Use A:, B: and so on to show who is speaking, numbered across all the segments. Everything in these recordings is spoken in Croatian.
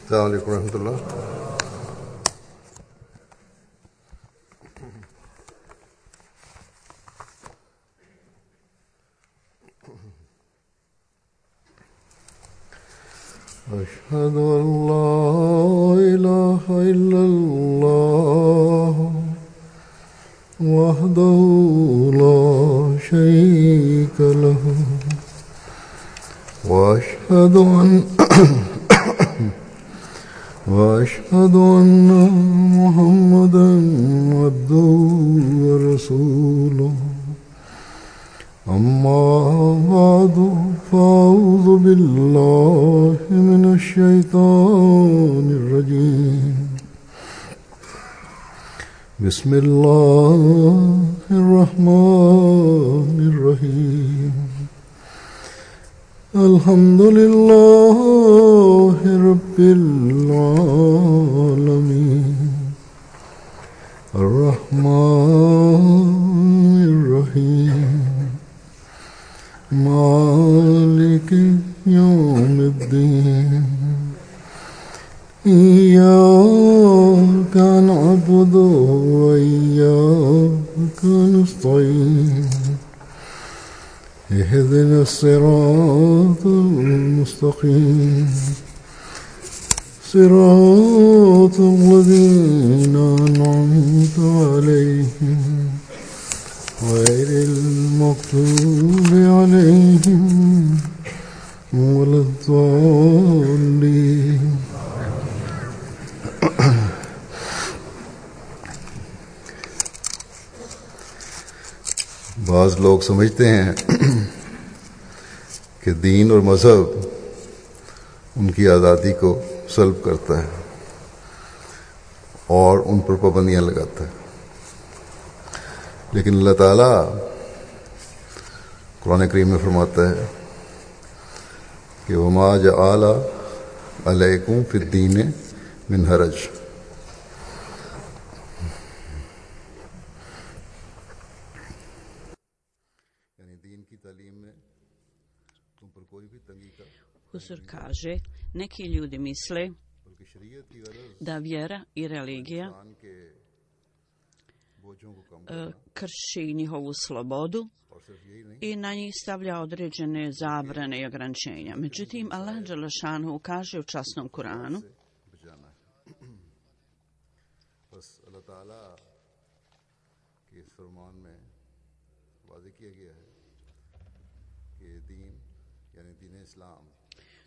A: السلام عليكم ورحمة الله. أشهد أن لا إله إلا الله وحده لا شريك له وأشهد أن محمدا عبده ورسوله. أما بعد فأعوذ بالله من الشيطان الرجيم. بسم الله الرحمن الرحيم. الحمد لله رب العالمين الرحمن الرحيم مالك يوم الدين. إياك نعبد وإياك نستعين. اهدنا الصراط المستقيم صراط الذين أنعمت عليهم غير المغضوب عليهم ولا الضالين. बाज़ लोग समझते हैं कि दीन और मज़हब उनकी आज़ादी को सल्ब करता है और उन पर पाबंदियां लगाता है, लेकिन अल्लाह ताला कुरान करीम में फरमाता है कि वमा जअला अलैकुम फिद्दीन मिन हरज।
B: Huzur kaže, neki ljudi misle da vjera i religija krši njihovu slobodu i na njih stavlja određene zabrane i ograničenja. Međutim, Allah dželešanu kaže u časnom Kuranu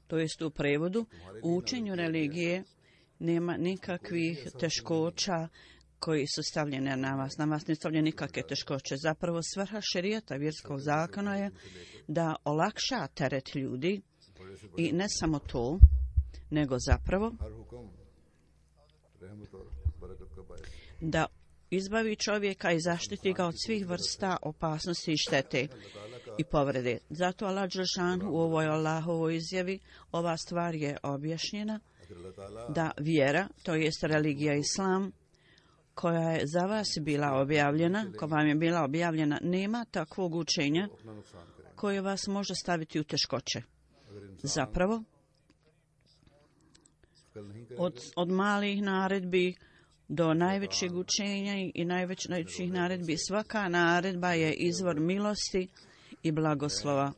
B: to jest u prevodu, u učenju religije nema nikakvih teškoća koji su stavljene na vas. Na vas ne stavljene nikakve teškoće. Zapravo svrha šerijata vjerskog zakona je da olakša teret ljudi i ne samo to, nego zapravo da izbavi čovjeka i zaštiti ga od svih vrsta opasnosti i štete i povrede. Zato Allah dželešanu u ovoj Allahovoj izjavi ova stvar je objašnjena da vjera, to jest religija Islam, koja je za vas bila objavljena, koja vam je bila objavljena, nema takvog učenja koje vas može staviti u teškoće. Zapravo, od malih naredbi do najvećeg učenja i najvećih naredbi, svaka naredba je izvor milosti i blagoslova.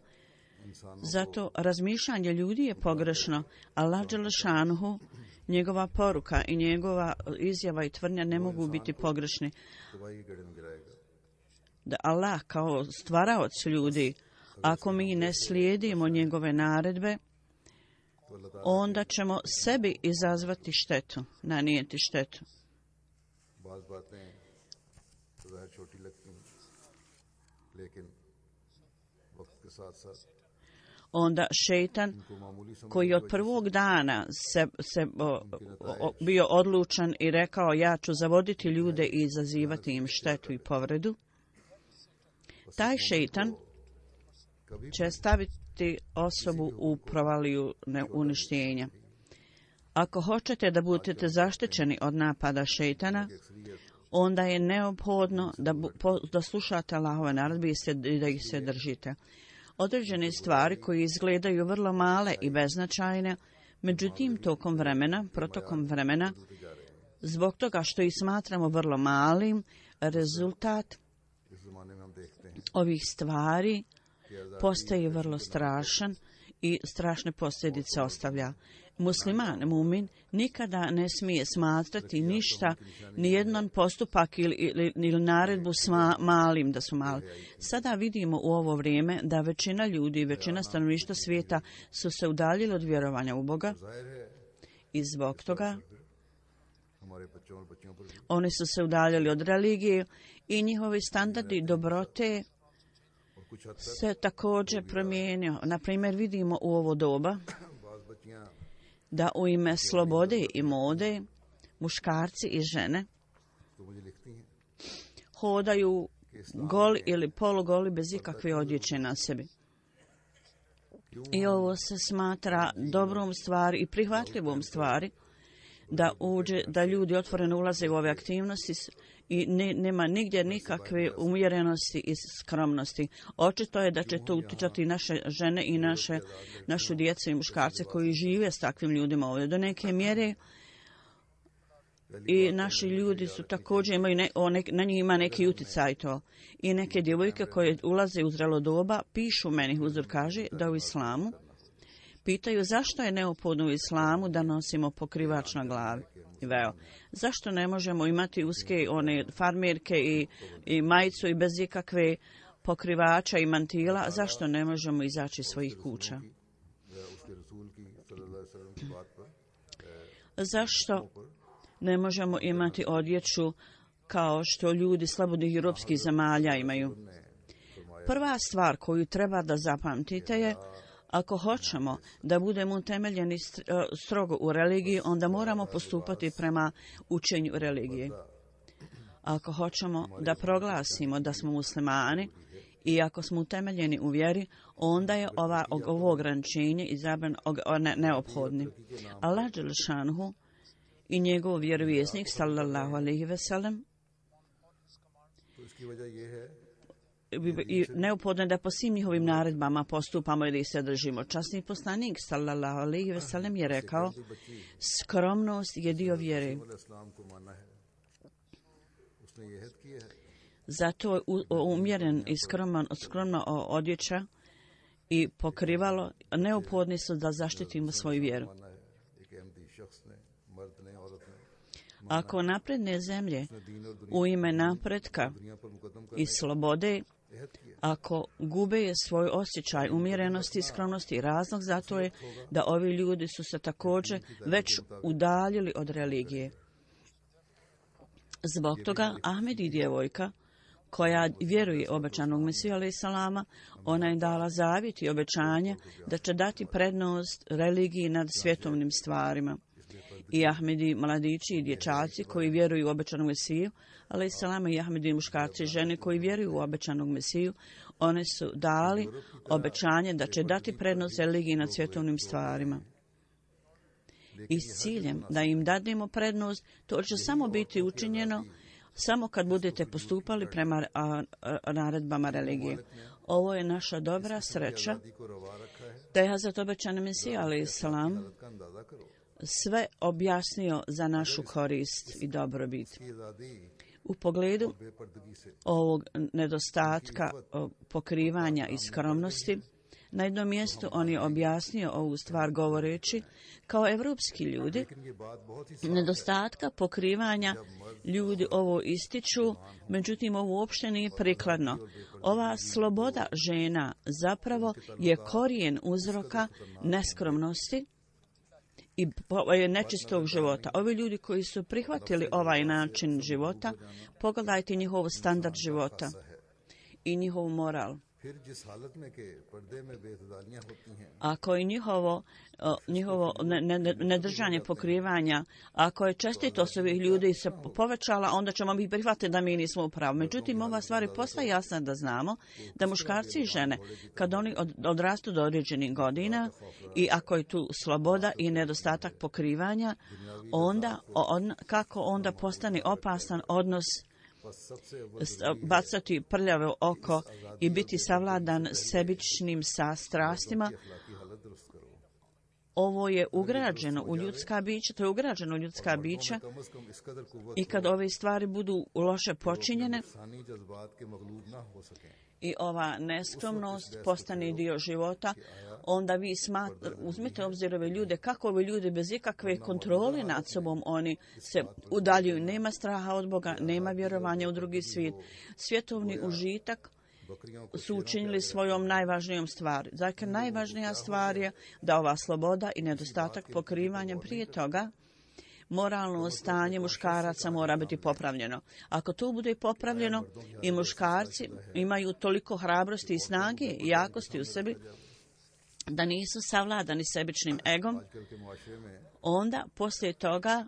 B: Zato razmišljanje ljudi je pogrešno. Allah dželešanuhu, njegova poruka i njegova izjava i tvrdnja ne mogu biti pogrešni. Da Allah kao stvaraoc ljudi, ako mi ne slijedimo njegove naredbe, onda ćemo sebi izazvati štetu, nanijeti štetu. Onda šejtan, koji od prvog dana se bio odlučan i rekao ja ću zavoditi ljude i izazivati im štetu i povredu, taj šejtan će staviti osobu u provaliju uništenja. Ako hoćete da budete zaštićeni od napada šejtana, onda je neophodno da slušate Allahove naredbe i da ih se držite. Određene stvari koje izgledaju vrlo male i beznačajne Međutim, protokom vremena, zbog toga što ih smatramo vrlo malim, rezultat ovih stvari postaje vrlo strašan i strašne posljedice ostavlja. Musliman, mumin, nikada ne smije smatrati ništa, nijedan postupak ili naredbu malim, da su mali. Sada vidimo u ovo vrijeme da većina ljudi, većina stanovništva svijeta su se udaljili od vjerovanja u Boga i zbog toga oni su se udaljili od religije i njihovi standardi dobrote se također promijenio. Na primjer, vidimo u ovo doba da u ime slobode i mode muškarci i žene hodaju goli ili polugoli bez ikakve odjeće na sebi. I ovo se smatra dobrom stvari i prihvatljivom stvari da ljudi otvoreno ulaze u ove aktivnosti i nema nigdje nikakve umjerenosti i skromnosti. Očito je da će to utjecati naše žene i našu djecu i muškarce koji žive s takvim ljudima ovdje do neke mjere. I naši ljudi su također imaju na njih ima neki utjecaj to. I neke djevojke koje ulaze u zrelo doba pišu meni, Huzur kaže, da u islamu pitaju zašto je neophodno u islamu da nosimo pokrivač na glavi i veo. Zašto ne možemo imati uske one farmerke i majicu i bez ikakve pokrivača i mantila? Zašto ne možemo izaći iz svojih kuća? Zašto ne možemo imati odjeću kao što ljudi slobodnih europskih zemalja imaju? Prva stvar koju treba da zapamtite je, ako hoćemo da budemo utemeljeni strogo u religiji, onda moramo postupati prema učenju religije. Ako hoćemo da proglasimo da smo muslimani i ako smo utemeljeni u vjeri, onda je ovo ograničenje i zabran neophodni. Allah dželšanhu i njegov vjerovjesnik sallallahu alejhi ve sellem i neophodno je da po svim njihovim naredbama postupamo i da ih se držimo. Časni poslanik sallallahu alejhi ve sellem je rekao, skromnost je dio vjere. Zato je umjeren i skromna odjeća i pokrivalo neophodni su da zaštitimo svoju vjeru. Ako napredne zemlje u ime napretka i slobode, ako gube svoj osjećaj umjerenosti i skromnosti, razlog za to je da ovi ljudi su se također već udaljili od religije. Zbog toga Ahmedi djevojka koja vjeruje obećanog Mesiju alejhi salama, ona je dala zavjet i obećanje da će dati prednost religiji nad svjetovnim stvarima. I Ahmedi mladići i dječaci koji vjeruju u obećanog Mesiju, alejhi salama, i Ahmedi muškarci i žene koji vjeruju u obećanog Mesiju, one su dali obećanje da će dati prednost religiji nad svjetovnim stvarima. I s ciljem da im dademo prednost, to će samo biti učinjeno samo kad budete postupali prema naredbama religije. Ovo je naša dobra sreća da je Hazret obećani Mesija alejhi salam sve objasnio za našu korist i dobrobit. U pogledu ovog nedostatka pokrivanja i skromnosti, na jednom mjestu on je objasnio ovu stvar govoreći, kao evropski ljudi, nedostatka pokrivanja ljudi ovo ističu, međutim ovo uopšte nije prikladno. Ova sloboda žena zapravo je korijen uzroka neskromnosti i nečistog života. Ovi ljudi koji su prihvatili ovaj način života, pogledajte njihov standard života i njihov moral. Ako je njihovo nedržanje pokrivanja, ako je čestitost ovih ljudi se povećala, onda ćemo mi prihvatiti da mi nismo u pravu. Međutim, ova stvar je postaje jasna da znamo da muškarci i žene, kad oni odrastu do određenih godina i ako je tu sloboda i nedostatak pokrivanja, onda kako onda postane opasan odnos bacati prljavo oko i biti savladan sebičnim strastima, ovo je ugrađeno u ljudska bića, to je ugrađeno u ljudska bića i kad ove stvari budu loše počinjene i ova neskromnost postane dio života, onda vi uzmite obzir ove ljude, kako ove ljude bez ikakve kontrole nad sobom, oni se udaljuju, nema straha od Boga, nema vjerovanja u drugi svijet. Svjetovni užitak su učinili svojom najvažnijom stvari. Dakle, najvažnija stvar je da ova sloboda i nedostatak pokrivanja prije toga moralno stanje muškaraca mora biti popravljeno. Ako to bude popravljeno i muškarci imaju toliko hrabrosti i snage i jakosti u sebi da nisu savladani sebičnim egom, onda poslije toga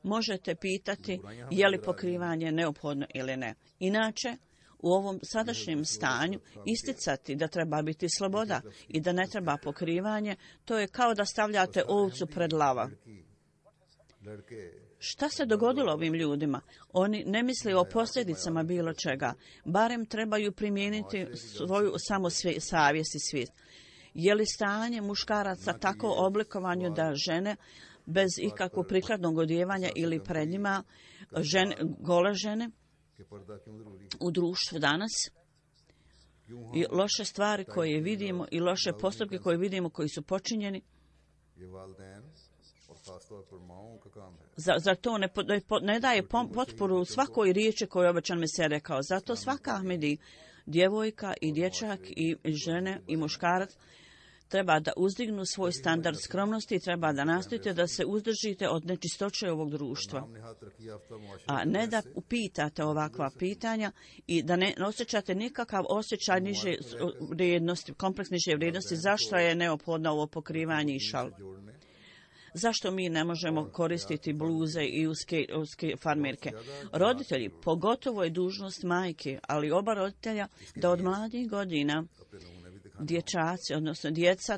B: možete pitati je li pokrivanje neophodno ili ne. Inače, u ovom sadašnjem stanju isticati da treba biti sloboda i da ne treba pokrivanje, to je kao da stavljate ovcu pred lava. Šta se dogodilo ovim ljudima? Oni ne misle o posljedicama bilo čega. Barem trebaju primijeniti svoju savjest i svijest. Je li stanje muškaraca tako oblikovanju da žene bez ikakvog prikladnog odjevanja ili pred njima gole žene u društvu danas i loše stvari koje vidimo i loše postupke koje vidimo koji su počinjeni, Zar to ne daje potporu svakoj riječi koju je obećan Mesija rekao? Zato svaka Ahmedi, djevojka i dječak i žene i muškarac treba da uzdignu svoj standard skromnosti i treba da nastojite da se uzdržite od nečistoće ovog društva. A ne da upitate ovakva pitanja i da ne osjećate nikakav osjećaj niže vrijednosti, kompleks niže vrijednosti, zašto je neophodno ovo pokrivanje i šal. Zašto mi ne možemo koristiti bluze i uske farmerke? Roditelji, pogotovo je dužnost majke, ali oba roditelja, da od mladih godina dječaci, odnosno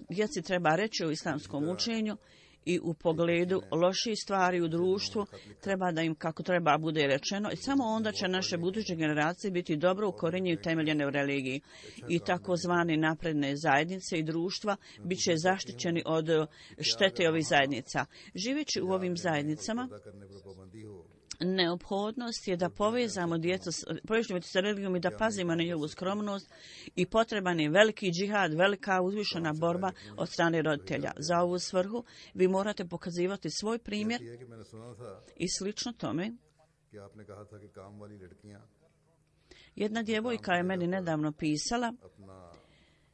B: djeci treba reći o islamskom učenju i u pogledu loših stvari u društvu treba da im kako treba bude rečeno i samo onda će naše buduće generacije biti dobro ukorenjene i temeljene u religiji. I takozvane napredne zajednice i društva bit će zaštićeni od štete ovih zajednica. Živeći u ovim zajednicama, neophodnost je da povežemo djecu sa religijom i da pazimo na njihovu skromnost i potreban je veliki džihad, velika uzvišena borba od strane roditelja. Za ovu svrhu vi morate pokazivati svoj primjer i slično tome. Jedna djevojka je meni nedavno pisala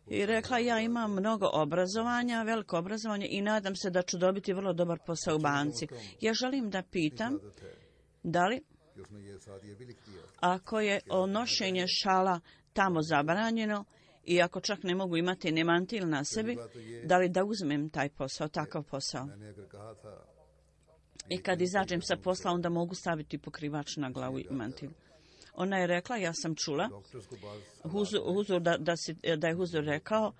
B: i rekla ja imam mnogo obrazovanja, veliko obrazovanje i nadam se da ću dobiti vrlo dobar posao u banci. Ja želim da pitam da li, ako je nošenje šala tamo zabranjeno i ako čak ne mogu imati ni mantil na sebi, da li da uzmem taj posao, takav posao. I kad izađem sa posla, onda mogu staviti pokrivač na glavu i mantil. Ona je rekla, ja sam čula, da je Huzur rekao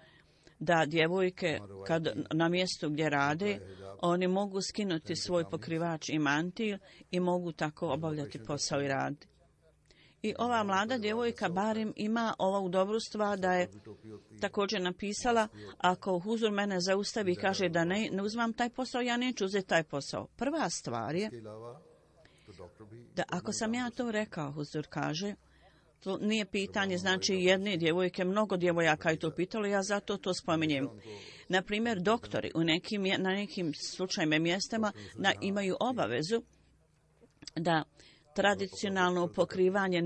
B: da djevojke kad na mjestu gdje rade, oni mogu skinuti svoj pokrivač i mantil i mogu tako obavljati posao i rad. I ova mlada djevojka barem ima ovu dobru stvar da je također napisala, ako Huzur mene zaustavi i kaže da ne uzmem taj posao, ja neću uzeti taj posao. Prva stvar je da ako sam ja to rekao, Huzur kaže, to nije pitanje, znači jedne djevojke, mnogo djevojaka je to pitalo, ja zato to spominjem. Naprimjer, doktori na nekim slučajima mjestama imaju obavezu da tradicionalno pokrivanje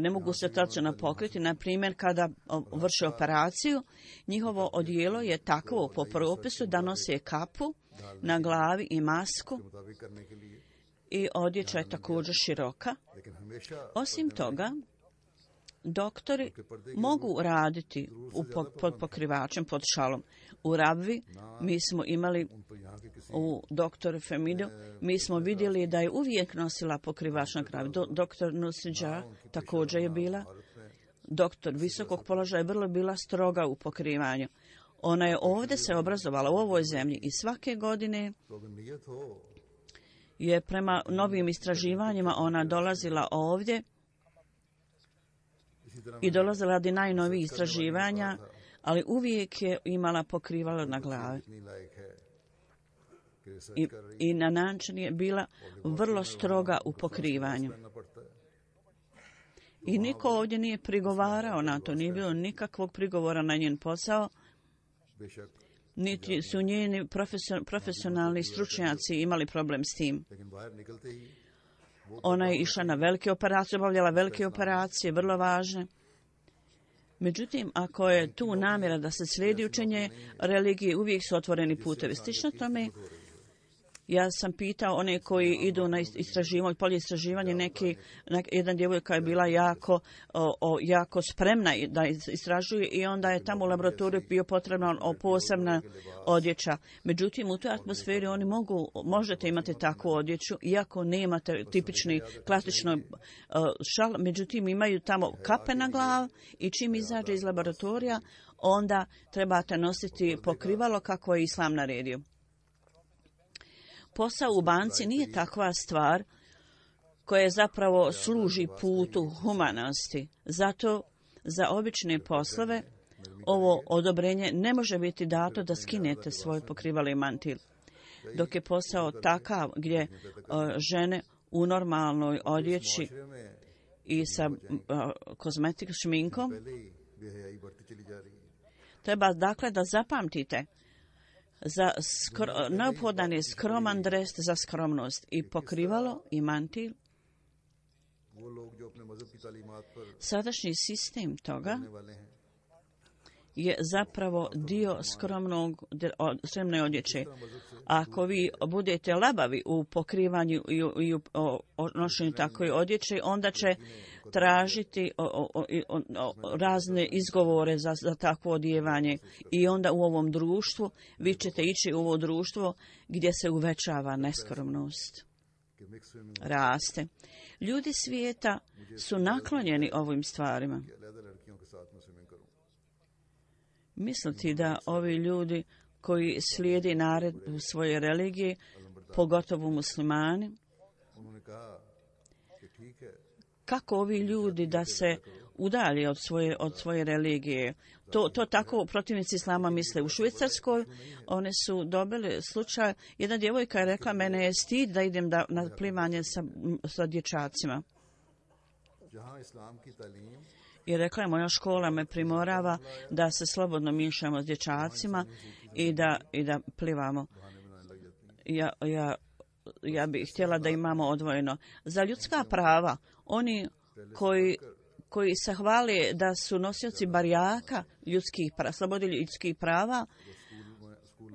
B: ne mogu se tradicionalno pokriti. Naprimjer, kada vrše operaciju, njihovo odijelo je takvo po propisu da nose kapu na glavi i masku i odjeća je također široka. Osim toga, doktori mogu raditi pod pokrivačem, pod šalom. U Rabvi mi smo imali u doktoru Femidu, mi smo vidjeli da je uvijek nosila pokrivač na glavi. Doktor Nusidža također je bila. Doktor visokog položaja je vrlo bila stroga u pokrivanju. Ona je ovdje se obrazovala u ovoj zemlji i svake godine je prema novim istraživanjima ona dolazila ovdje i dolazila radi najnovijih istraživanja, ali uvijek je imala pokrivalo na glavi. I na način je bila vrlo stroga u pokrivanju. I niko ovdje nije prigovarao na to, nije bilo nikakvog prigovora na njen posao, niti su njeni profesionalni stručnjaci imali problem s tim. Ona je išla na velike operacije, obavljala velike operacije, vrlo važne. Međutim, ako je tu namjera da se slijedi učenje religije, uvijek su otvoreni putevi. Slično tome, ja sam pitao one koji idu na istraživanje, polje istraživanje, jedan djevojka je bila jako spremna da istražuje i onda je tamo u laboratoriju bio potrebna posebna odjeća. Međutim, u toj atmosferi oni možete imati takvu odjeću, iako nemate tipični, klasični šal, međutim imaju tamo kape na glavu i čim izađe iz laboratorija, onda trebate nositi pokrivalo kako je Islam naredio. Posao u banci nije takva stvar koja zapravo služi putu humanosti. Zato za obične poslove ovo odobrenje ne može biti dato da skinete svoj pokrivali mantil. Dok je posao takav gdje žene u normalnoj odjeći i sa kozmetikom, šminkom, treba dakle da zapamtite neophodan je skroman dres za skromnost i pokrivalo i mantil. Sadašnji sistem toga je zapravo dio skromne odjeće. Ako vi budete labavi u pokrivanju i u nošenju takve odjeće, onda će tražiti razne izgovore za takvo odijevanje. I onda u ovom društvu, vi ćete ići u ovo društvo gdje se uvećava neskromnost. Raste. Ljudi svijeta su naklonjeni ovim stvarima. Misliti da ovi ljudi koji slijedi naredbu svoje religije, pogotovo muslimani, kako ovi ljudi da se udalje od svoje religije. To tako protivnici islama misle. U Švicarskoj one su dobili slučaj, jedna djevojka je rekla, mene je stid da idem na plivanje sa dječacima. I rekla je, moja škola me primorava da se slobodno miješamo s dječacima i da plivamo. Ja bih htjela da imamo odvojeno. Za ljudska prava, oni koji se hvale da su nosioci barijaka slobode ljudskih prava,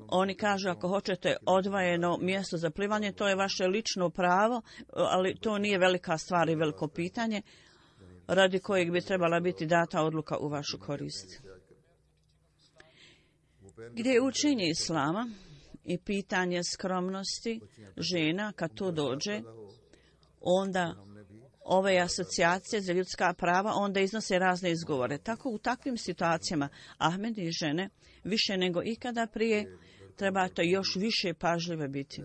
B: oni kažu ako hoćete odvojeno mjesto za plivanje, to je vaše lično pravo, ali to nije velika stvar i veliko pitanje radi kojeg bi trebala biti data odluka u vašu korist. Gdje je učenje islama i pitanje skromnosti žena, kad to dođe, onda ove asocijacije za ljudska prava onda iznose razne izgovore. Tako u takvim situacijama Ahmedi i žene više nego ikada prije trebate još više pažljive biti.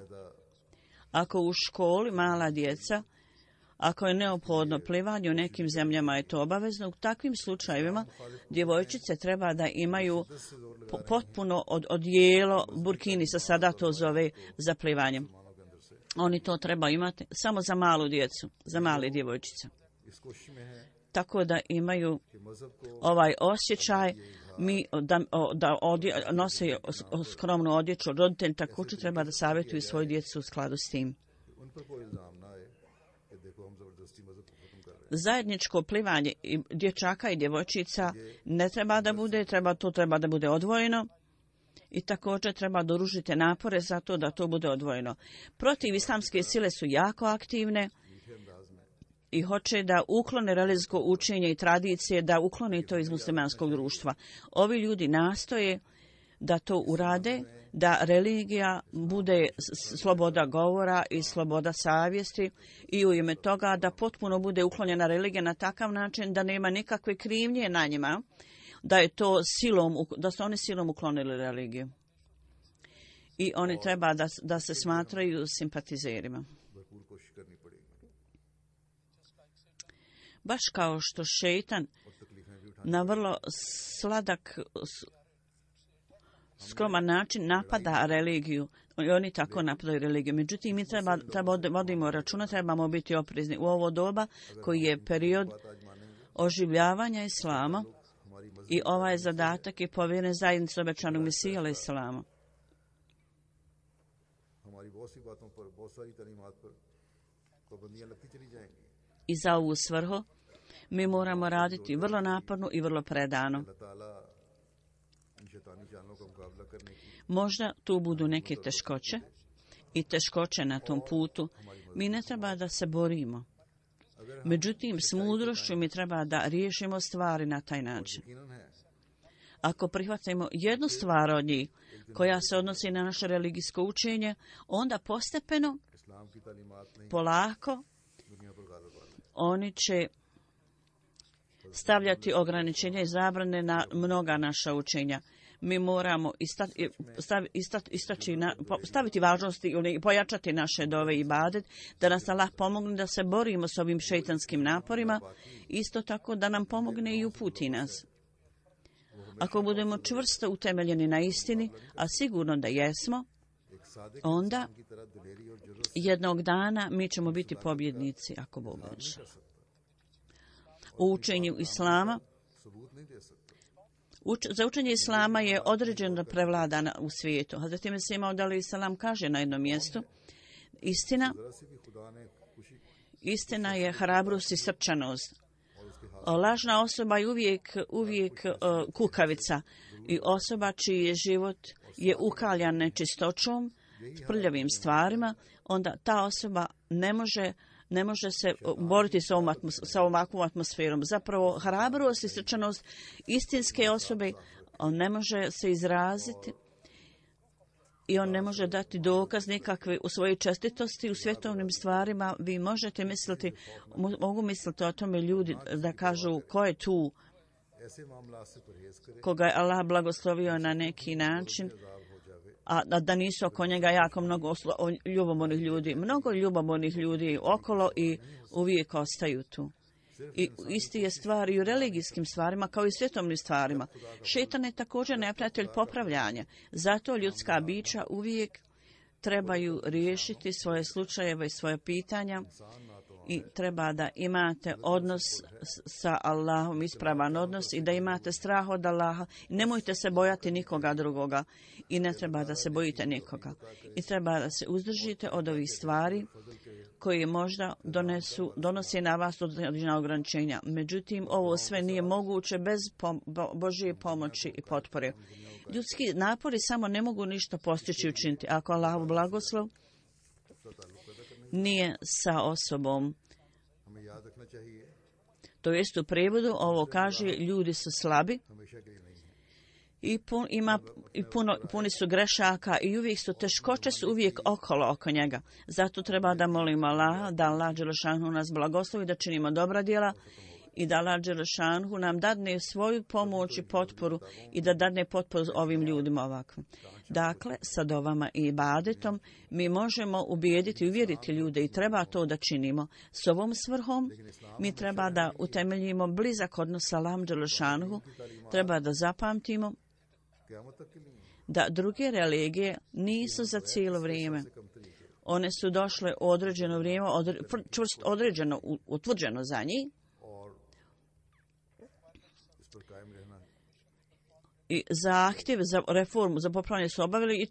B: Ako u školi mala djeca, ako je neophodno plivanje, u nekim zemljama je to obavezno, u takvim slučajevima djevojčice treba da imaju potpuno odijelo burkini, se sada to zove za plivanje. Oni to treba imati samo za malu djecu, za male djevojčice. Tako da imaju ovaj osjećaj da nose skromnu odjeću. Roditelj također treba da savjetuju svoju djecu u skladu s tim. Zajedničko plivanje dječaka i djevojčica ne treba da bude, treba da bude odvojeno i također treba doružiti napore za to da to bude odvojeno. Protiv islamske sile su jako aktivne i hoće da uklone religijsko učenje i tradicije, da uklone to iz muslimanskog društva. Ovi ljudi nastoje da to urade, da religija bude sloboda govora i sloboda savjesti i u ime toga da potpuno bude uklonjena religija na takav način da nema nikakve krivnje na njima, da su oni silom uklonili religiju. I oni treba da se smatraju simpatizerima. Baš kao što šejtan na vrlo sladak, skroman način napada religiju. Oni tako napadaju religiju. Međutim, mi treba vodimo računa, trebamo biti oprezni u ovo doba koji je period oživljavanja islama i ovaj zadatak je povjeren zajednici obećanog Mesija alejhi selama. I za ovu svrhu mi moramo raditi vrlo naporno i vrlo predano. Možda tu budu neke teškoće i teškoće na tom putu. Mi ne treba da se borimo. Međutim, s mudrošću mi treba da riješimo stvari na taj način. Ako prihvatimo jednu stvar od njih koja se odnosi na naše religijsko učenje, onda postepeno, polako, oni će stavljati ograničenja i zabrane na mnoga naša učenja. Mi moramo staviti važnosti i pojačati naše dove i ibadet, da nas Allah pomogne da se borimo s ovim šejtanskim naporima, isto tako da nam pomogne i uputi nas. Ako budemo čvrsto utemeljeni na istini, a sigurno da jesmo, onda jednog dana mi ćemo biti pobjednici, ako Bog neće. U učenju Islama, za učenje Islama je određeno prevladana u svijetu. Hazreti Mesih Maud alejhi selam kaže na jednom mjestu, istina je hrabrost i srčanost. Lažna osoba je uvijek kukavica i osoba čiji je život je ukaljan nečistoćom, prljavim stvarima, onda ta osoba ne može se boriti sa ovakvom atmosferom. Zapravo, hrabrost i srčanost istinske osobe, on ne može se izraziti i on ne može dati dokaz nikakve u svojoj čestitosti u svjetovnim stvarima. Vi možete misliti, mogu misliti o tome ljudi da kažu ko je tu, koga je Allah blagoslovio na neki način, a da nisu oko njega jako mnogo ljubomornih ljudi. Mnogo ljubomornih ljudi okolo i uvijek ostaju tu. I isti je stvar i u religijskim stvarima kao i svjetovnim stvarima. Šejtan je također neprijatelj popravljanja. Zato ljudska bića uvijek trebaju riješiti svoje slučajeve i svoje pitanja i treba da imate odnos sa Allahom, ispravan odnos i da imate strah od Allaha. Nemojte se bojati nikoga drugoga i ne treba da se bojite nikoga. I treba da se uzdržite od ovih stvari koje možda donosi na vas određena ograničenja. Međutim, ovo sve nije moguće bez Božje pomoći i potpore. Ljudski napori samo ne mogu ništa postići i učiniti. Ako Allahov blagoslov nije sa osobom. To jest u prevodu ovo kaže ljudi su slabi i puni su grešaka i uvijek su teškoće su uvijek oko njega. Zato treba da molimo Allaha da Allah dželešanu nas blagoslovi da činimo dobra djela i da Allah dželešanu nam dadne svoju pomoć i potporu i da dadne potporu ovim ljudima ovakvim. Dakle, sa dovama i ibadetom mi možemo ubijediti i uvjeriti ljude i treba to da činimo. S ovom svrhom mi treba da utemeljimo blizak odnos sa Allahom dželešanu, treba da zapamtimo da druge religije nisu za cijelo vrijeme. One su došle u određeno vrijeme, određeno, utvrđeno za njih. I zahtjev za reformu, za popravljanje su obavili i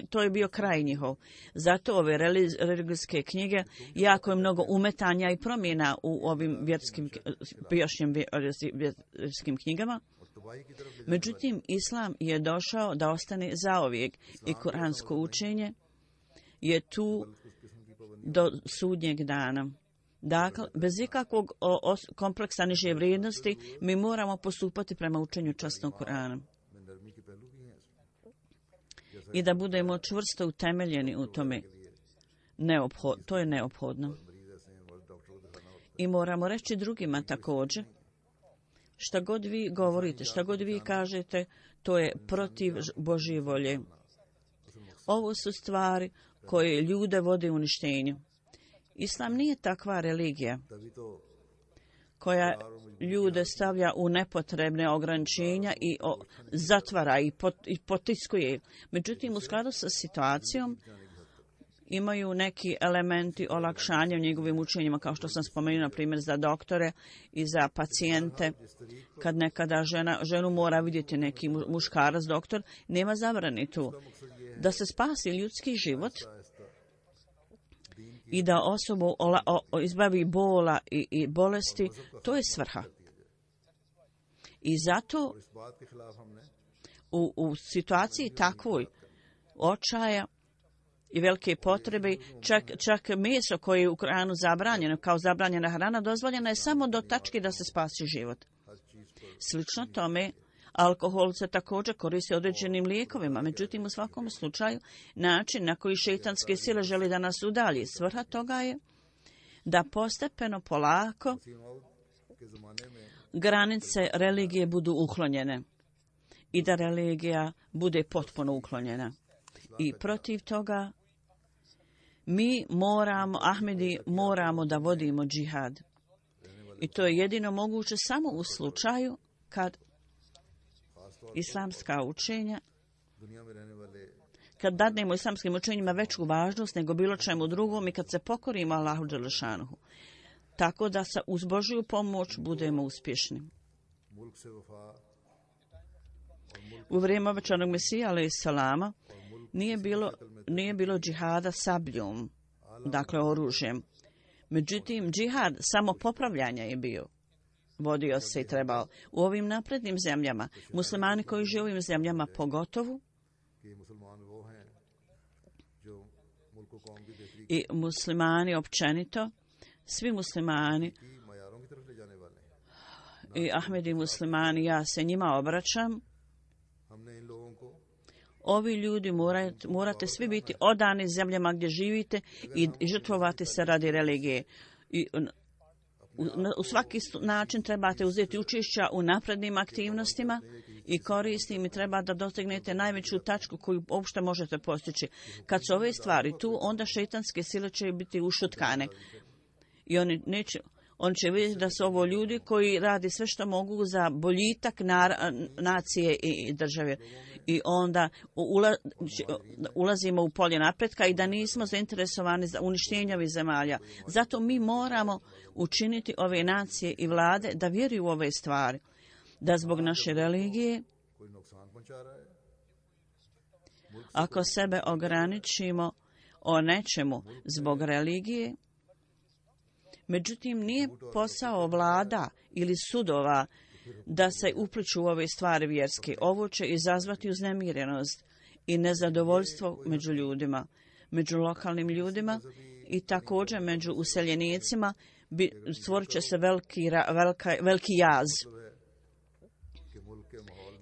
B: to je bio kraj njihov. Zato ove religijske knjige, jako je mnogo umetanja i promjena u ovim prijašnjim vjerskim knjigama. Međutim, Islam je došao da ostane zauvijek i kuransko učenje je tu do sudnjeg dana. Dakle, bez ikakvog kompleksa niže vrijednosti mi moramo postupati prema učenju časnog Kurana. I da budemo čvrsto utemeljeni u tome. To je neophodno. I moramo reći drugima također, šta god vi govorite, šta god vi kažete, to je protiv Božje volje. Ovo su stvari koje ljude vode u uništenju. Islam nije takva religija koja ljude stavlja u nepotrebne ograničenja i zatvara i potiskuje. Međutim, u skladu sa situacijom imaju neki elementi olakšanja u njegovim učenjima, kao što sam spomenuo, na primjer, za doktore i za pacijente. Kad nekada ženu mora vidjeti neki muškarac, doktor, nema zabrani tu. Da se spasi ljudski život i da osobu izbavi bola i bolesti, to je svrha. I zato u situaciji takvoj očaja i velike potrebe, čak meso koje je u Koranu zabranjeno, kao zabranjena hrana, dozvoljena je samo do tačke da se spasi život. Slično tome, alkohol se također koristi određenim lijekovima, međutim u svakom slučaju način na koji šejtanske sile želi da nas udalji, svrha toga je da postepeno, polako granice religije budu uklonjene i da religija bude potpuno uklonjena. I protiv toga mi moramo da vodimo džihad. I to je jedino moguće samo u slučaju kad islamska učenja, kad dadnemo islamskim učenjima veću važnost nego bilo čemu drugom i kad se pokorimo Allahu dželešanuhu. Tako da uz Božju pomoć budemo uspješni. U vrijeme obećanog Mesija, alejhi salama, nije bilo džihada sabljom, dakle oružjem. Međutim, džihad samo popravljanja je bio. Vodio se i trebao. U ovim naprednim zemljama, muslimani koji žive u ovim zemljama pogotovo, i muslimani općenito, svi muslimani i Ahmedi muslimani, ja se njima obraćam, ovi ljudi morate svi biti odani zemljama gdje živite i žrtvovati se radi religije. I u svaki način trebate uzeti učešća u naprednim aktivnostima i koristim i treba da dostignete najveću tačku koju uopšte možete postići. Kad su ove stvari tu, onda šejtanske sile će biti ušutkane. I oni će vidjeti da su ovo ljudi koji radi sve što mogu za boljitak nacije i države. I onda ulazimo u polje napretka i da nismo zainteresovani za uništenje ovih zemalja. Zato mi moramo učiniti ove nacije i vlade da vjeruju u ove stvari. Da zbog naše religije, ako sebe ograničimo o nečemu zbog religije, međutim, nije posao vlada ili sudova da se upliču u ove stvari vjerske. Ovo će izazvati uznemirenost i nezadovoljstvo među ljudima, među lokalnim ljudima i također među useljenicima stvorit će se veliki jaz.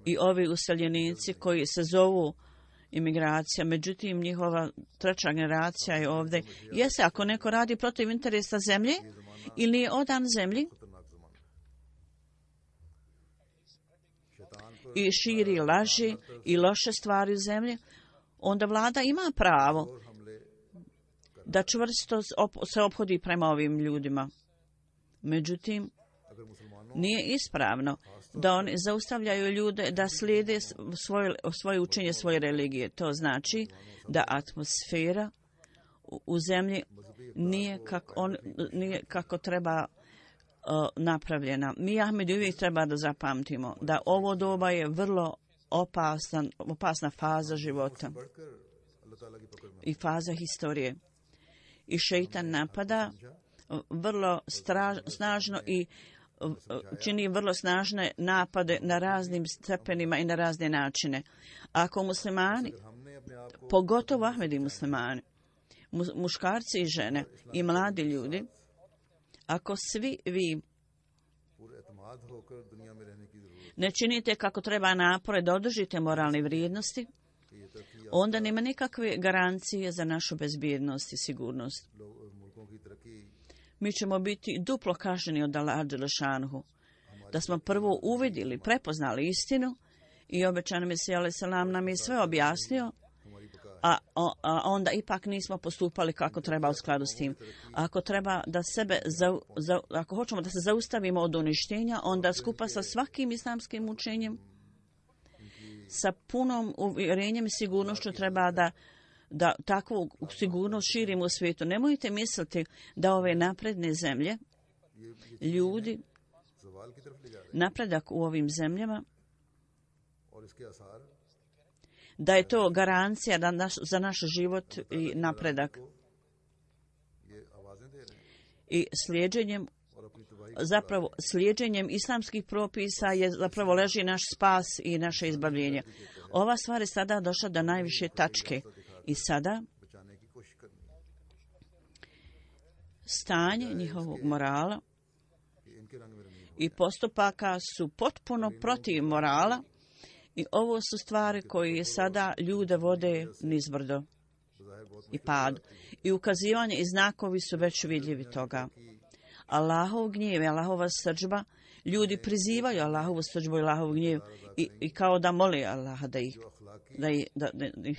B: I ovi useljenici koji se zovu imigracija, međutim njihova treća generacija je ovdje. Jeste, ako neko radi protiv interesa zemlje ili je odan zemlji i širi laži i loše stvari u zemlji, onda vlada ima pravo da čvrsto se ophodi prema ovim ljudima. Međutim, nije ispravno da oni zaustavljaju ljude da slijede svoje učenje, svoje religije. To znači da atmosfera u zemlji nije kako treba napravljena. Mi, Ahmedi, uvijek treba da zapamtimo da ovo doba je vrlo opasna faza života i faza historije. I šejtan napada vrlo snažno i čini vrlo snažne napade na raznim stepenima i na razne načine. Ako muslimani, pogotovo Ahmedi muslimani, muškarci i žene i mladi ljudi, ako svi vi ne činite kako treba napore da održite moralne vrijednosti, onda nema nikakve garancije za našu bezbjednost i sigurnost. Mi ćemo biti duplo kažnjeni od Allaha dželešanuhu. Da smo prvo uvidjeli, prepoznali istinu i obećani Mesija alejhi selam nam je sve objasnio, a onda ipak nismo postupali kako treba u skladu s tim. Ako treba da ako hoćemo da se zaustavimo od uništenja, onda skupa sa svakim islamskim učenjem, sa punom uvjerenjem i sigurnošću treba da takvu sigurnost širimo u svijetu. Nemojte misliti da ove napredne zemlje, ljudi, napredak u ovim zemljama, da je to garancija za naš život i napredak. I slijeđenjem islamskih propisa zapravo leži naš spas i naše izbavljenje. Ova stvar je sada došla do najviše tačke i sada stanje njihovog morala i postupaka su potpuno protiv morala i ovo su stvari koje sada ljude vode nizbrdo i pad. I ukazivanje i znakovi su već vidljivi toga. Allahov gnjev i Allahova srdžba, ljudi prizivaju Allahovu srdžbu i Allahov gnjev i kao da mole Allaha da ih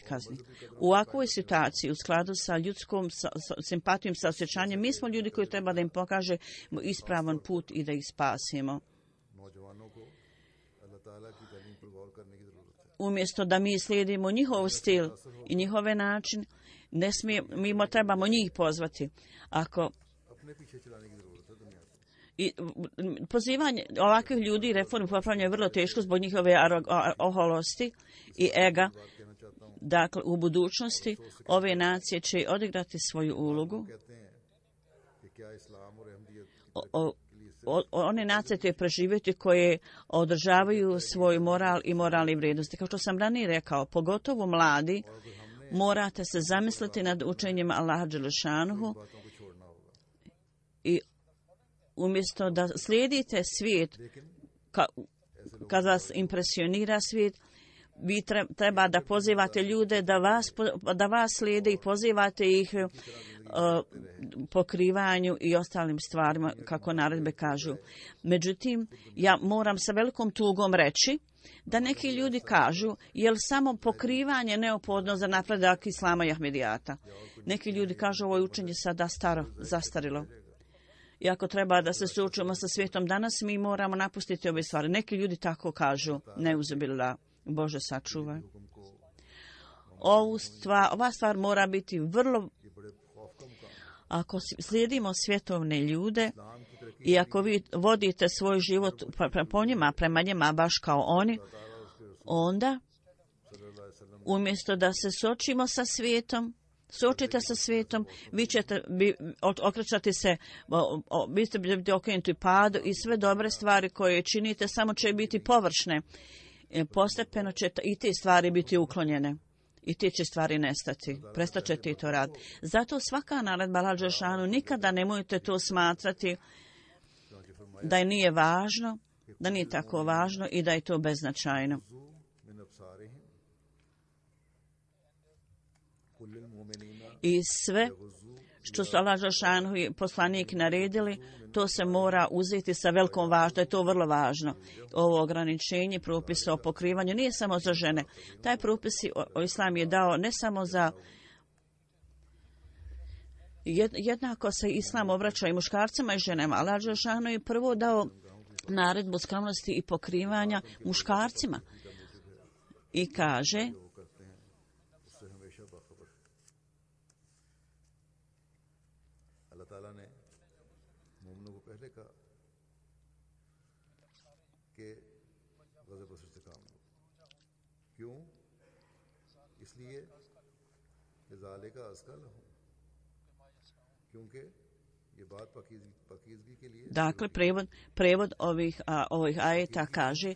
B: kazni. U ovakvoj situaciji, u skladu sa ljudskom simpatijom, sa osjećanjem, mi smo ljudi koji treba da im pokažemo ispravan put i da ih spasimo. Umjesto da mi slijedimo njihov stil i njihove način, mi trebamo njih pozvati. I pozivanje ovakvih ljudi i reformu popravljanja je vrlo teško zbog njihove oholosti i ega. Dakle, u budućnosti ove nacije će odigrati svoju ulogu. One nacije će preživjeti koje održavaju svoj moral i moralne vrijednosti. Kao što sam ranije rekao, pogotovo mladi, morate se zamisliti nad učenjem Allaha dželešanuhu i umjesto da slijedite svijet, kad vas impresionira svijet, vi treba da pozivate ljude da vas slijede i pozivate ih pokrivanju i ostalim stvarima, kako naredbe kažu. Međutim, ja moram sa velikom tugom reći da neki ljudi kažu, je li samo pokrivanje neophodno za napredak islama i ahmedijata. Neki ljudi kažu, ovo je učenje sada zastarilo. I ako treba da se suočimo sa svijetom danas, mi moramo napustiti ove stvari. Neki ljudi tako kažu, neuzubillah, Bože sačuvaj. Ova stvar mora biti vrlo... Ako slijedimo svjetovne ljude i ako vi vodite svoj život prema njima baš kao oni, onda umjesto da se suočimo sa svijetom, suočite sa svijetom, vi ćete okrećati se, vi ćete biti okrenuti padu i sve dobre stvari koje činite samo će biti površne. Postepeno će i te stvari biti uklonjene. I ti će stvari nestati. Prestat ćete i to raditi. Zato svaka naredba Allaha dželešanu nikada nemojte to smatrati da nije važno, da nije tako važno i da je to beznačajno. I sve što su Allaha dželešanu i poslanik naredili, to se mora uzeti sa velikom važnošću, je to vrlo važno. Ovo ograničenje propisa o pokrivanju nije samo za žene. Taj propis Islam je dao ne samo za... Jednako se Islam obraća i muškarcima i ženama. Allaha dželešanu je prvo dao naredbu skromnosti i pokrivanja muškarcima. I kaže... Dakle, prevod ovih ajeta kaže,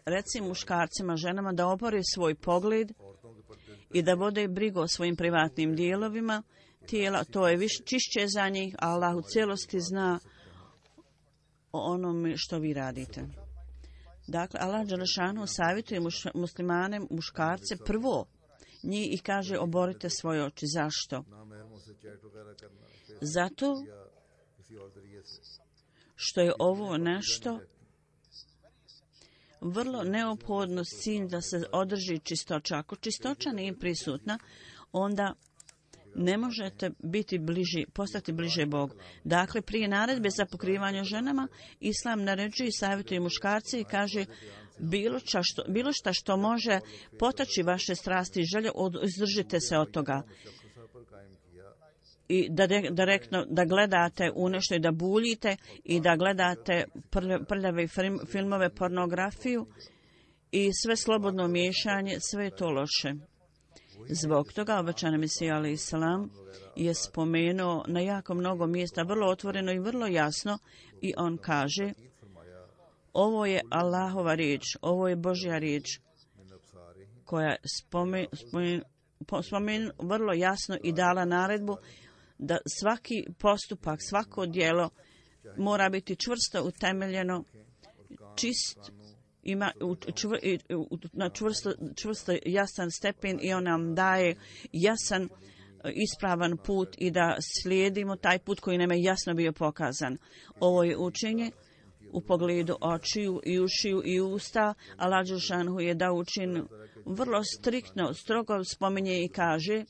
B: reci muškarcima, ženama da obore svoj pogled i da vode brigu o svojim privatnim dijelovima tijela, to je čišće za njih, a Allah u cijelosti zna o onome što vi radite. Dakle, Allah dželešanu savjetuje muslimane, muškarce, prvo njih i kaže oborite svoje oči. Zašto? Zato što je ovo nešto vrlo neophodno cilj da se održi čistoća. Ako čistoća nije prisutna, onda ne možete postati bliže Bogu. Dakle, prije naredbe za pokrivanje ženama, Islam naređuje i savjetuje muškarce i kaže bilo šta što može potaći vaše strasti i želje, izdržite se od toga. I da gledate u nešto i da buljite i da gledate prljave filmove, pornografiju i sve slobodno miješanje, sve je to loše. Zbog toga obećani Mesija alejhi selam je spomenuo na jako mnogo mjesta vrlo otvoreno i vrlo jasno i on kaže: ovo je Allahova riječ, ovo je Božja riječ koja spomenu vrlo jasno i dala naredbu da svaki postupak, svako djelo mora biti čvrsto utemeljeno, čist, ima na čvrsto jasan stepen i on nam daje jasan, ispravan put i da slijedimo taj put koji nam je jasno bio pokazan. Ovo je učenje u pogledu očiju i ušiju i usta. Allah dželešanu je da učin vrlo striktno, strogo spominje i kaže: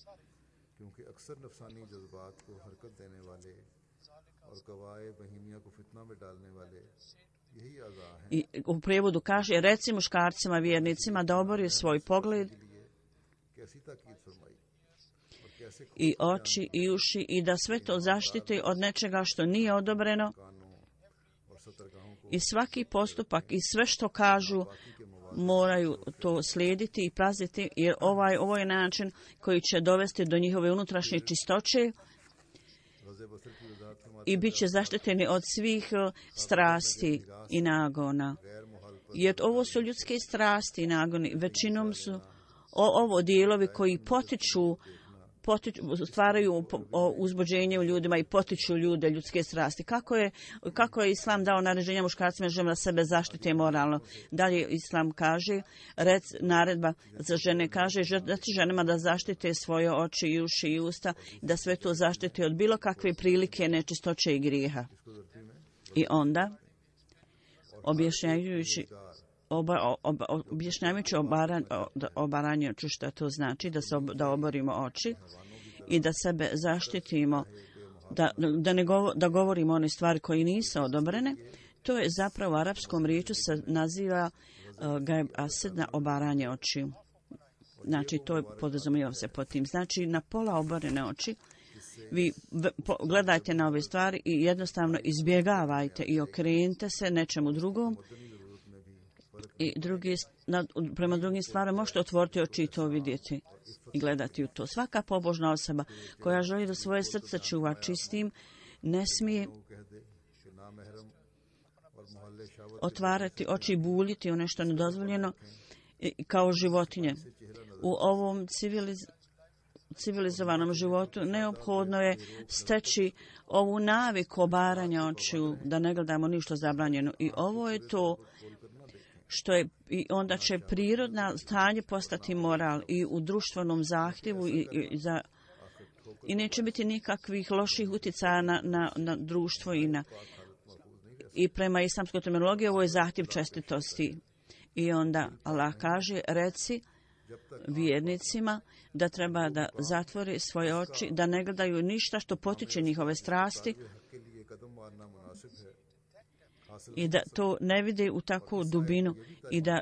B: i u prijevodu kaže: reci muškarcima vjernicima da obore svoj pogled i oči i uši i da sve to zaštite od nečega što nije odobreno, i svaki postupak i sve što kažu moraju to slijediti i paziti, jer ovo je način koji će dovesti do njihove unutrašnje čistoće i bit će zaštićeni od svih strasti i nagona. Jer ovo su ljudske strasti i nagoni. Većinom su ovo dijelovi koji stvaraju uzbuđenje u ljudima i potiču ljude, ljudske strasti. Kako je Islam dao naređenja muškarcima i ženama da sebe zaštite moralno? Dalje Islam kaže, naredba za žene kaže da će ženama da zaštite svoje oči i uši i usta, da sve to zaštite od bilo kakve prilike nečistoće i grijeha. I onda, objašnjavajući obaranje oči, što to znači, da oborimo oči i da sebe zaštitimo, da govorimo one stvari koje nisu odobrene, to je zapravo u arapskom riječu se naziva gaib asedna, obaranje oči. Znači, to podrazumijeva se pod tim. Znači, na pola oborene oči vi gledajte na ove stvari i jednostavno izbjegavajte i okrenite se nečemu drugom. I prema drugim stvarima možete otvoriti oči i to vidjeti i gledati u to. Svaka pobožna osoba koja želi da svoje srce čuva čistim ne smije otvarati oči i buljiti u nešto nedozvoljeno kao životinje. U ovom civilizovanom životu neophodno je steći ovu naviku obaranja očiju, da ne gledamo ništa zabranjeno. I ovo je to što je, i onda će prirodna stanje postati moral i u društvenom zahtjevu i neće biti nikakvih loših utjecaja na društvo i prema islamskoj terminologiji ovo je zahtjev čestitosti. I onda Allah kaže, reci vjernicima da treba da zatvore svoje oči, da ne gledaju ništa što potiče njihove strasti i da to ne vide u takvu dubinu i da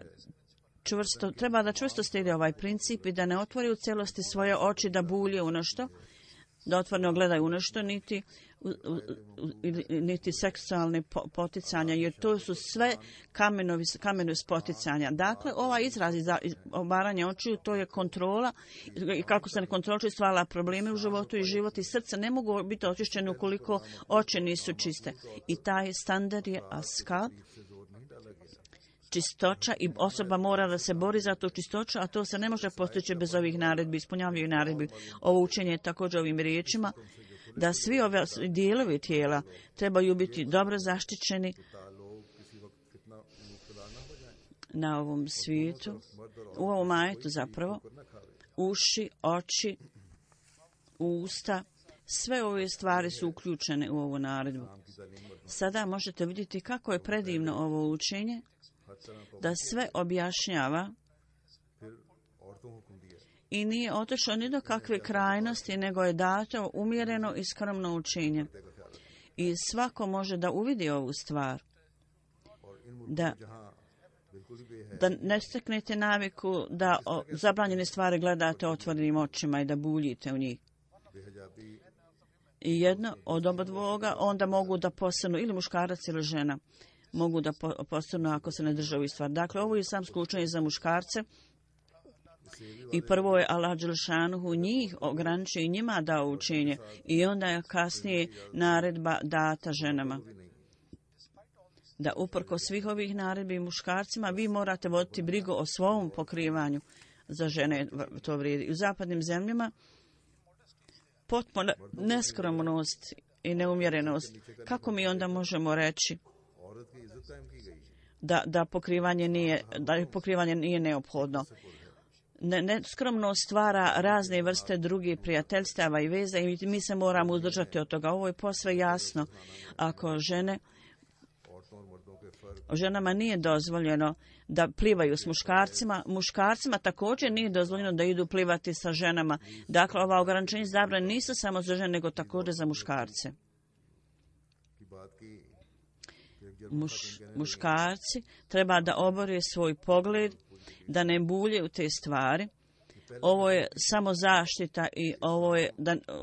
B: treba da čvrsto slijede ovaj princip i da ne otvori u cijelosti svoje oči, da bulje u nešto, da otvoreno gledaju u nešto, niti seksualne poticanja, jer to su sve kamenovi spoticanja. Dakle, ovaj izraz za obaranje očiju, to je kontrola i kako se ne kontroliše stvarala probleme u životu i život i srce ne mogu biti očišćeni ukoliko oči nisu čiste. I taj standard je askab, čistoća, i osoba mora da se bori za tu čistoću, a to se ne može postići bez ovih naredbi, ispunjavaju naredbi. Ovo učenje je također ovim riječima da svi ove dijelovi tijela trebaju biti dobro zaštićeni na ovom svijetu, u ovom ajetu zapravo, uši, oči, usta, sve ove stvari su uključene u ovu naredbu. Sada možete vidjeti kako je predivno ovo učenje da sve objašnjava i nije otišao ni do kakve krajnosti, nego je dato umjereno i skromno učenje. I svako može da uvidi ovu stvar. Da ne steknete naviku da zabranjene stvari gledate otvorenim očima i da buljite u njih. I jedno od oba dvoga onda mogu da postanu ili muškarac ili žena. Mogu da postanu ako se ne drže ovih stvari. Dakle, ovo je islamsko učenje za muškarce. I prvo je Allah dželšanuhu njih ograničio i njima dao učenje. I onda je kasnije naredba data ženama. Da uprko svih ovih naredbi muškarcima vi morate voditi brigu o svom pokrivanju. Za žene to vrijedi. U zapadnim zemljama potpuna neskromnost i neumjerenost. Kako mi onda možemo reći da pokrivanje nije neophodno? Neskromnost stvara razne vrste drugih prijateljstava i veza i mi se moramo uzdržati od toga. Ovo je posve jasno. Ako ženama nije dozvoljeno da plivaju s muškarcima također nije dozvoljeno da idu plivati sa ženama. Dakle, ova ograničenja zabrane nisu samo za žene, nego također za muškarce. Muškarci treba da obore svoj pogled, da ne bulje u te stvari. Ovo je samo zaštita i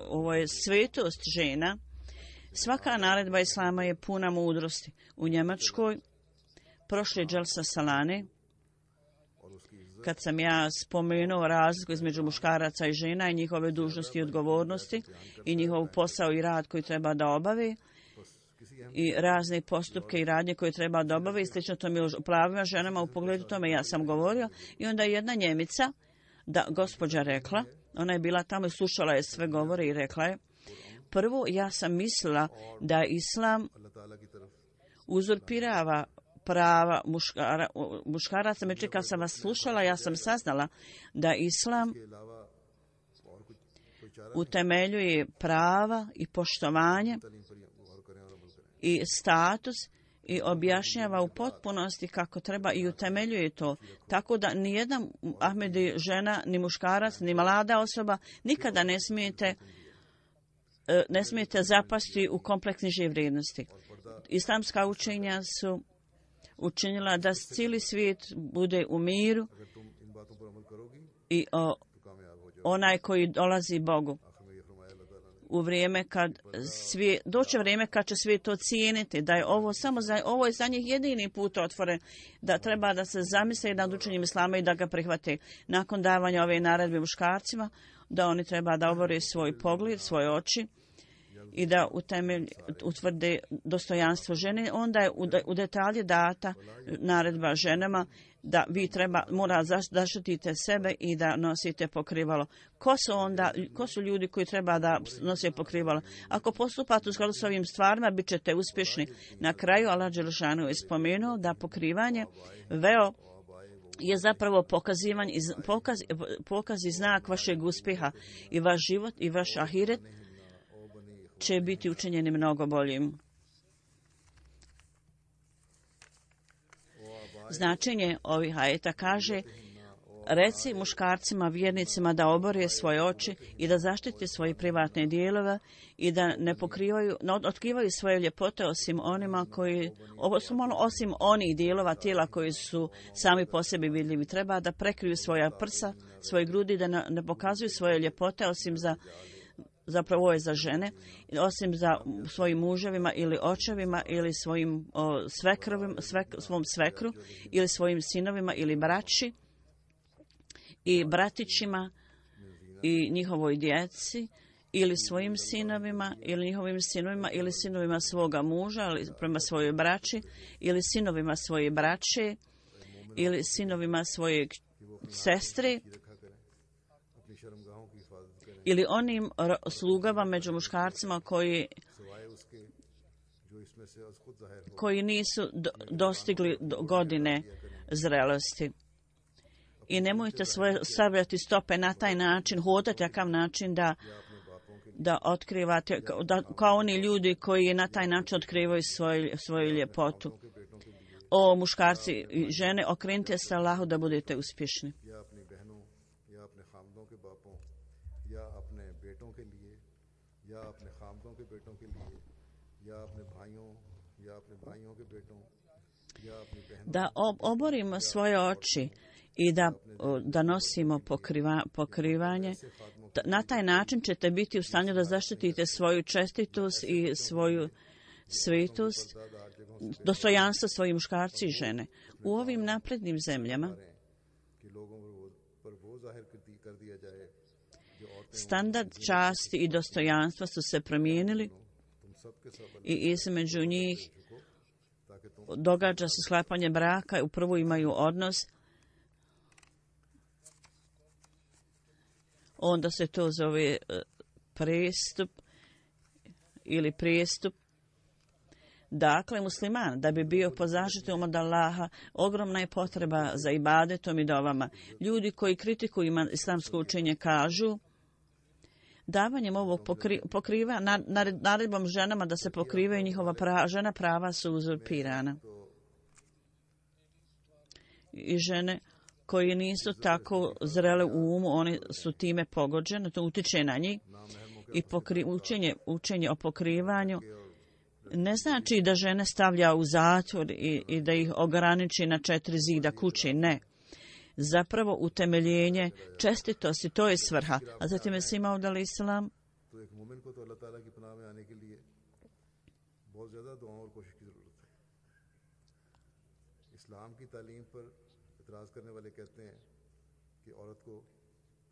B: ovo je svetost žena. Svaka naredba Islama je puna mudrosti. U Njemačkoj prošli Dželsa Salane, kad sam ja spomenuo razliku između muškaraca i žena i njihove dužnosti i odgovornosti i njihov posao i rad koji treba da obave i razne postupke i radnje koje treba da obave i slično tome u pravima ženama u pogledu tome ja sam govorio. I onda je jedna Njemica, gospođa rekla, ona je bila tamo i slušala je sve govore i rekla je: prvo, ja sam mislila da Islam uzurpirava prava muškaraca, međutim kad sam vas slušala, ja sam saznala da Islam utemeljuje prava i poštovanje i status i objašnjava u potpunosti kako treba i utemeljuje to. Tako da nijedna Ahmedi žena, ni muškarac, ni mlada osoba nikada ne smijete zapasti u kompleks niže vrijednosti. Islamska učenja su učinila da cijeli svijet bude u miru i onaj koji dolazi Bogu. U vrijeme kad doće vrijeme kad će svijet to cijeniti, da je ovo je za njih jedini put otvoren, da treba da se zamisle nad učenjem Islama i da ga prihvate. Nakon davanja ove naredbe muškarcima, da oni treba da obore svoj pogled, svoje oči i da utvrde dostojanstvo žene, onda je u detalje data naredba ženama da vi mora zaštitite sebe i da nosite pokrivalo. Ko su ljudi koji treba da nose pokrivalo? Ako postupate u skladu s ovim stvarima, bit ćete uspješni. Na kraju Allah dželešanu je spomenuo da pokrivanje veo je zapravo pokaz i znak vašeg uspjeha i vaš život i vaš ahiret će biti učinjeni mnogo boljim. Značenje ovih ajeta kaže: reci muškarcima vjernicima da obore svoje oči i da zaštite svoje privatne dijelove i da ne otkrivaju svoje ljepote osim onih dijelova tijela koji su sami po sebi vidljivi. Treba da prekriju svoja prsa, svoje grudi, da ne pokazuju svoje ljepote osim zapravo ovo je za žene, osim za svojim muževima ili očevima ili svom svekru ili svojim sinovima ili braći i bratićima i njihovoj djeci ili svojim sinovima ili njihovim sinovima ili sinovima svoga muža ili prema svojoj braći ili sinovima svoje braće ili sinovima svoje sestre ili onim slugama među muškarcima koji nisu dostigli godine zrelosti. I nemojte stavljati stope na taj način, hodati takav način da otkrivate, kao oni ljudi koji na taj način otkrivaju svoju ljepotu. O muškarci i žene, okrenite se Allahu da budete uspješni.
A: या अपनी बहनों या अपने खामदों के बापों या अपने बेटों के लिए या अपने खामदों के बेटों के लिए या अपने भाइयों या अपने भाइयों के बेटों या अपनी बहनों
B: Da oborimo svoje oči i da nosimo pokrivanje. Na taj način ćete biti u stanju da zaštitite svoju čestitost i svoju svetost, dostojanstvo svojih muškarci i žene. U ovim naprednim zemljama
A: कि लोगों पर वो जाहिर कर दिया जाए जो औरतें
B: standard časti i dostojanstva su se promijenili
A: तुम सबके सब
B: i između njih
A: ताकि तुम
B: događa se sklapanje braka, u prvu imaju odnos, onda se to zove prestup ili prijestup. Dakle, musliman, da bi bio pod zaštitom od Allaha, ogromna je potreba za ibadetom i dovama. Ljudi koji kritikuju islamsko učenje kažu, davanjem ovog pokriva, naredbom ženama da se pokrivaju njihova žena prava su uzurpirana. I žene koje nisu tako zrele u umu, one su time pogođene, to utiče na njih. I učenje o pokrivanju ne znači da žene stavlja u zatvor i da ih ograniči na 4 zida kuće, ne. Zapravo utemeljenje čestitosti, to je svrha. A zatim je Sima udali Islam.
A: तो एक मोमिन को तो अल्लाह ताला की पनाह में आने के लिए बहुत ज़्यादा दुआओं और कोशिश की ज़रूरत है। इस्लाम की तालीम पर इतराज़ करने वाले कहते हैं कि औरत को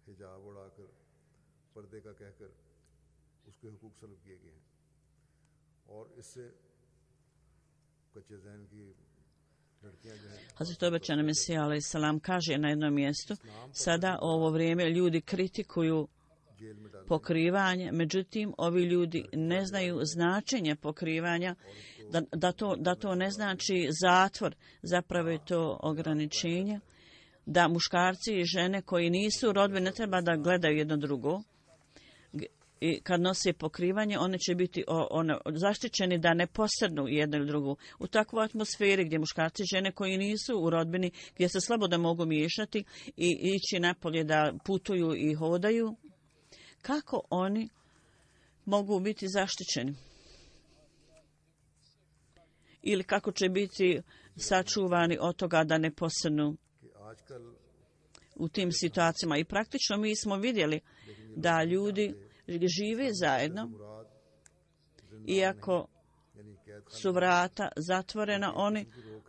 A: हिजाब उड़ाकर पर्दे का कहकर उसके हुकूक सल्ब किए गए हैं और इससे कच्चे ज़हन की लड़कियां जो हैं
B: Hazreti obećani Mesija alejhi selam kaže na jednom mjestu, sada u ovo vrijeme ljudi kritikuju
A: jail में डाल
B: pokrivanje, međutim ovi ljudi ne znaju značenje pokrivanja, da to ne znači zatvor, zapravo je to ograničenje, da muškarci i žene koji nisu rodbini ne treba da gledaju jedno drugo. I kad nose pokrivanje, one će biti zaštićeni da ne posrnu jedno ili drugo. U takvoj atmosferi gdje muškarci i žene koji nisu u rodbini, gdje se slobodno mogu miješati i ići napolje da putuju i hodaju, kako oni mogu biti zaštićeni? Ili kako će biti sačuvani od toga da ne posrnu
A: कि आजकल
B: u tim situacijama? I praktično mi smo vidjeli da ljudi žive zajedno,
A: मुराद
B: iako
A: यानी कैद
B: su vrata zatvorena,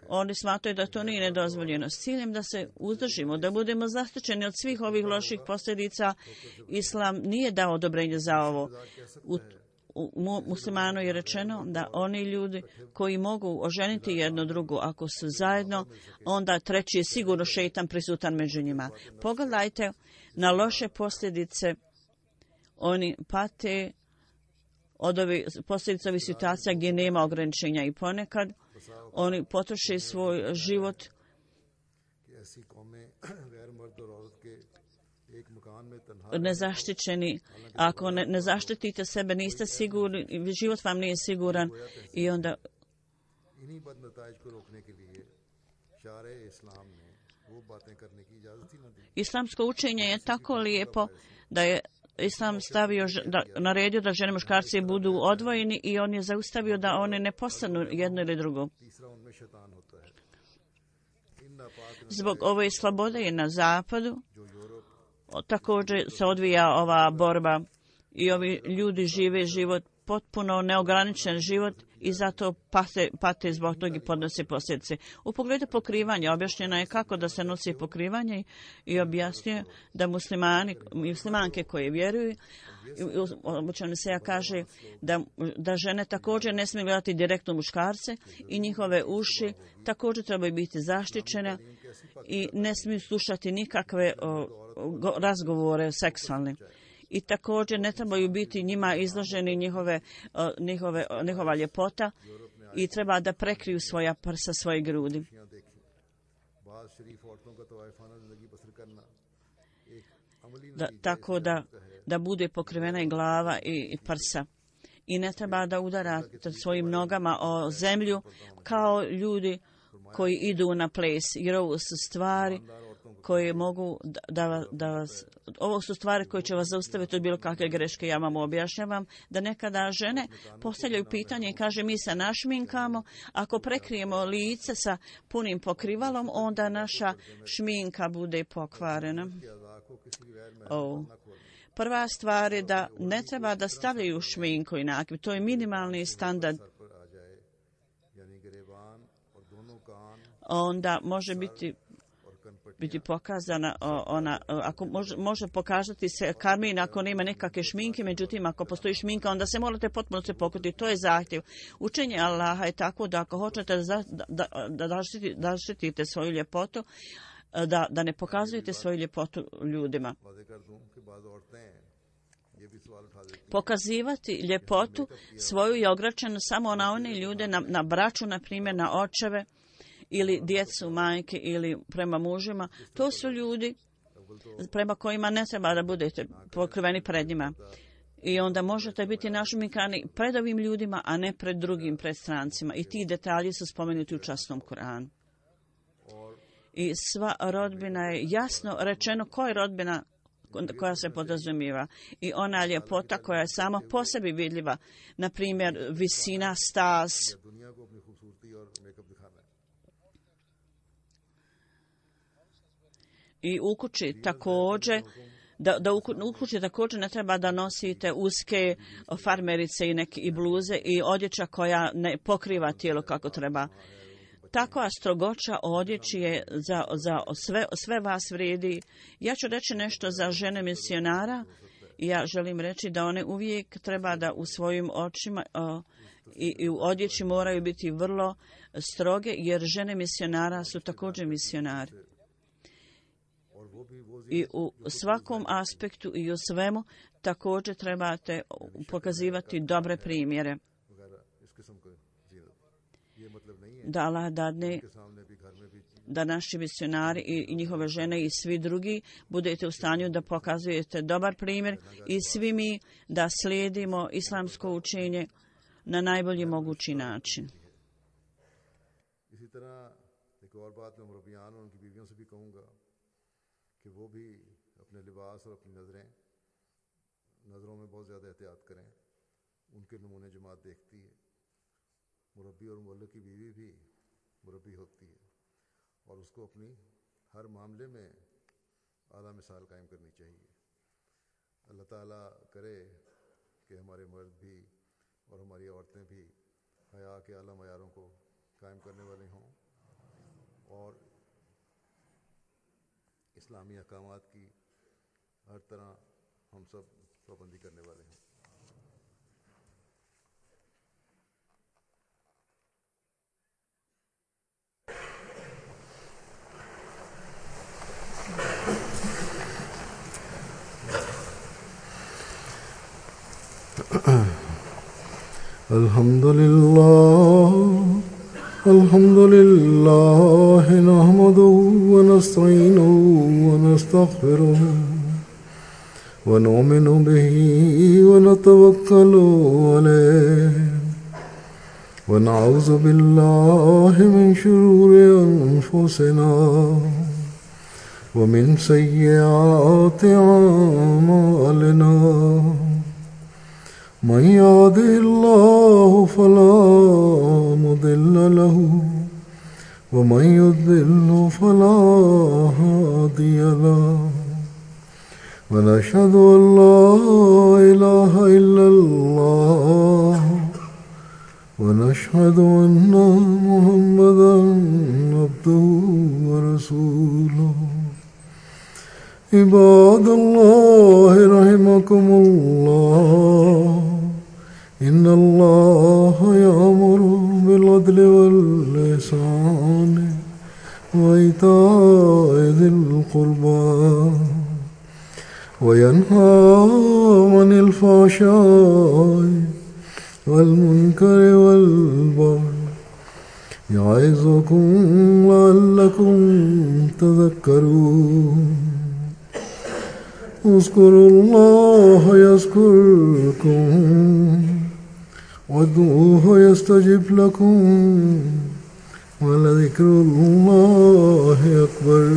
B: oni smatraju da to nije nedozvoljeno. S ciljem da se uzdržimo, da budemo zaštićeni od svih ovih loših posljedica, Islam nije dao odobrenje za ovo. U muslimanu je rečeno da oni ljudi koji mogu oženiti jedno drugo, ako su zajedno, onda treći je sigurno šejtan prisutan među njima. Pogledajte na loše posljedice, oni pate od ovih posljedica ovih situacija gdje nema ograničenja i ponekad oni potroše svoj život
A: कि ऐसी कौमें गैर मर्द और औरत के एक मकान में तन्हा
B: nezaštićeni. Ako ne zaštitite sebe, niste sigurni, život vam nije siguran i onda
A: इन्हीं बद नताइज को रोकने के लिए शारे इस्लाम ने वो बातें करने की इजाज़त ही न दी।
B: islamsko učenje je tako lijepo da je Islam naredio da žene i muškarci budu odvojeni i on je zaustavio da one ne postanu jedno ili drugo.
A: तीसरा उनमें शैतान होता है। इन नापाक
B: Zbog ove slobode je na zapadu
A: जो Europe
B: također se odvija ova borba i ovi ljudi žive život potpuno neograničen život i zato pate zbog toga i podnose posljedice. U pogledu pokrivanja objašnjeno je kako da se nosi pokrivanje i objasnio da muslimanke koje vjeruju, obično se ja kaže da žene također ne smiju gledati direktno muškarce i njihove uši također trebaju biti zaštićene i ne smiju slušati nikakve razgovore seksualne. I također ne trebaju biti njima izloženi njihova ljepota i treba da prekriju svoja prsa, svoje grudi.
A: बाज शरीफ औरतों का तवाइफाना जिंदगी बसर करना एक अमली
B: Tako da bude pokrivena i glava i prsa. I ne treba da udara svojim nogama o zemlju kao ljudi koji idu na ples, jer ovo su stvari koje mogu da vas, ovo su stvari koje će vas zaustaviti od bilo kakve greške. Ja vam objašnjavam da nekada žene postavljaju pitanje i kaže mi se našminkamo, ako prekrijemo lice sa punim pokrivalom, onda naša šminka bude pokvarena. Prva stvar je da ne treba da stavljaju šminku i nakit. To je minimalni standard. Onda može biti pokazana ona, ako može pokazati se karmin ako nema nekakve šminke, međutim ako postoji šminka onda se morate potpuno se pokriti, to je zahtjev. Učenje Allaha je tako da ako hoćete da zaštitite svoju ljepotu, da ne pokazujete svoju ljepotu ljudima. Pokazivati ljepotu svoju je ograničeno samo na one ljude, na braću, na primjer na očeve, ili djecu, majke ili prema mužima. To su ljudi prema kojima ne treba da budete pokriveni pred njima. I onda možete biti našminkani pred ovim ljudima, a ne pred drugim, pred strancima. I ti detalji su spomenuti u časnom Kuranu. I sva rodbina je jasno rečeno koja je rodbina koja se podrazumijeva. I ona ljepota koja je sama po sebi vidljiva. Na primjer, visina, stas. I u kući također, u kući također ne treba da nosite uske farmerice i bluze i odjeća koja ne pokriva tijelo kako treba. Takva strogoća odjeći je za sve vas vrijedi. Ja ću reći nešto za žene misionara. Ja želim reći da one uvijek treba da u svojim očima i u odjeći moraju biti vrlo stroge, jer žene misionara su također misionari. I u svakom aspektu i u svemu također trebate pokazivati dobre primjere. Da Allah dadne da naši misionari i njihove žene i svi drugi budete u stanju da pokazujete dobar primjer i svi mi da slijedimo islamsko učenje na najbolji mogući način.
A: कि वो भी अपने लिबास और अपनी नज़रों में बहुत ज़्यादा एहतियात करें. उनके नमूने जमात देखती है. मुरब्बी और मुअल्लिम की बीवी भी मुरब्बी होती है और उसको अपनी हर मामले में आला मिसाल कायम करनी चाहिए. अल्लाह ताला करे कि हमारे मर्द भी और हमारी औरतें भी हया के आला मयारों को कायम करने वाले हों और इस्लामी अहकामात की हर तरह हम सब पाबंदी करने वाले हैं. الحمد لله نحمده ونستعينه ونستغفره ونؤمن به ونتوكل عليه ونعوذ بالله من شرور أنفسنا ومن سيئات أعمالنا. من يهده الله فلا مضل له ومن يضلل فلا هادي له ونشهد أن لا إله إلا الله ونشهد أن محمدا عبده ورسوله. عباد الله رحمكم الله إن الله يأمر بالعدل والإحسان وإيتاء ذي القربى وينهى عن الفحشاء والمنكر والبغي يعظكم لعلكم تذكرون. اذكروا الله يذكركم وادعوه يستجب لكم ولذكر الله أكبر.